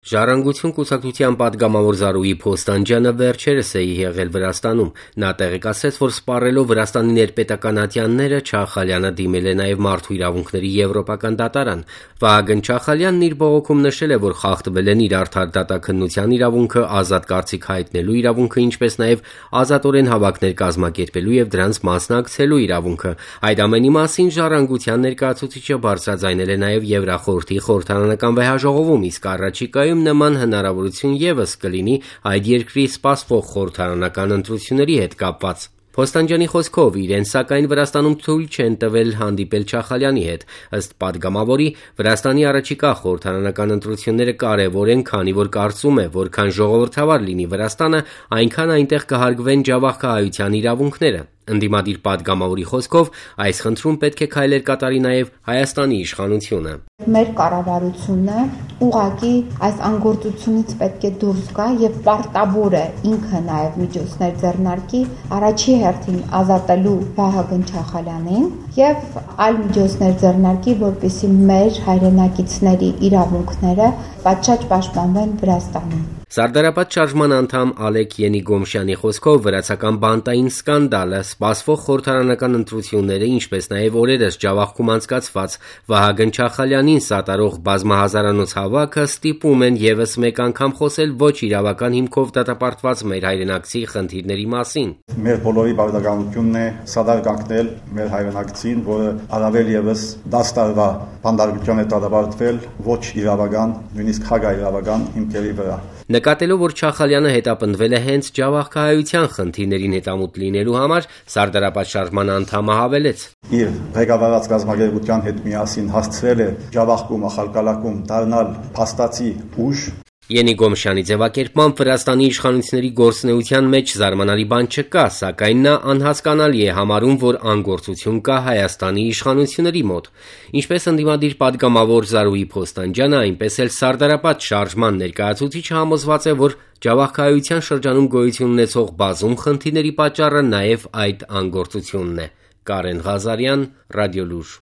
Ժառանգություն կուսակցության պատգամավոր Զարուհի Փոստանջյանը վերջերս է եղել Վրաստանում: Նա տեղեկացրեց, որ սպառելով Վրաստանի ներպետական ատյանները, Չախալյանը դիմել է նաև Մարդու իրավունքների եվրոպական դատարան: Վահագն Չախալյանն իր բողոքում նշել է, որ խախտվել են իր արդար դատաքննության իրավունքը, ազատ կարծիք հայտնելու իրավունքը, ինչպես նաև ազատորեն հավաքներ կազմակերպելու և դրանց մասնակցելու իրավունքը: Այդ ամենի մասին Ժառանգության ներկայացուցիչը բարձրաձայնել է նաև Եվրախորհրդի խորհրդարանական վեհաժողովում, իսկ առաջիկայում նման հնարավորություն ևս կլինի այդ երկրի սպասվող խորհրդարանական ընտրությունների հետ կապված: Փոստանջյանի խոսքով, իրեն սակայն Վրաստանում թույլ չեն տվել հանդիպել Չախալյանի հետ: Ըստ պատգամավորի, Վրաստանի առաջիկա խորհրդարանական ընտրությունները կարևոր են, քանի որ կարծում է, որքան ժողովրդավար լինի Վրաստանը, այնքան այնտեղ կհարգվեն ջավախքահայության իրավունքները: Ընդդիմադիր պատգամավորի խոսքով, այս խնդրում պետք է քայլեր կատարի նաև Հայաստանի իշխանությունը: Մեր կառավարությունը ուղղակի այս անգործությունից պետք է դուրս գա և պարտավոր է ինքը նաև միջոցներ ձեռնարկի առաջի հերթին ազատելու Վահագն Չախալյանին և այլ միջոցներ ձեռնարկի, որպեսզի մեր հայրենակիցների իրավունքները պատշաճ պաշտպանվեն Վրաստանում: Սարդարապատ շարժման անդամ Ալեք Ենիգոմշյանի խոսքով, վրացական բանտային սկանդալը, սպասվող խորհրդարանական ընտրությունները, ինչպես նաև օրերս ջավախքում անցկացված Վահագն Չախալյանին սատարող բազմահազարանոց հավաքը ստիպում են ևս մեկ անգամ խոսել ոչ իրավական հիմքով դատապարտված մեր հայրենակցի խնդիրների մասին: Մեր բոլորի բարդականությունն է սադար կանգնել մեր հայրենակցին, որը առավել ևս 10 տարվա բանտարկության է դատապարտվել ոչ իրավական, նույնիսկ հակաիրավական հիմքերի վրա: Նկատելով, որ Չախալյանը հետապնդվել է հենց ջավախքահայության խնդիրներին հետամուտ լինելու համար, Սարդարապատ շարժման անդամը հավելեց. Իր ղեկավարած կազմակերպության հետ միասին հասցրել է ջավախքում, ախալկալաքում դառնալ փաստացի ուժ: Ենիգոմշյանի ձևակերպմամբ, Վրաստանի իշխանությունների գործունեության մեջ զարմանալի բան չկա, սակայն նա անհասկանալի է համարում, որ անգործություն կա Հայաստանի իշխանությունների մոտ: Ինչպես ընդդիմադիր պատգամավոր Զարուհի Փոստանջյանը, այնպես էլ Սարդարապատ շարժման ներկայացուցիչը համոզված է, որ ջավախքահայության շրջանում գոյություն ունեցող բազում խնդիրների պատճառը նաև այդ անգործությունն է: Կարեն Ղազարյան, Ռադիոլուր: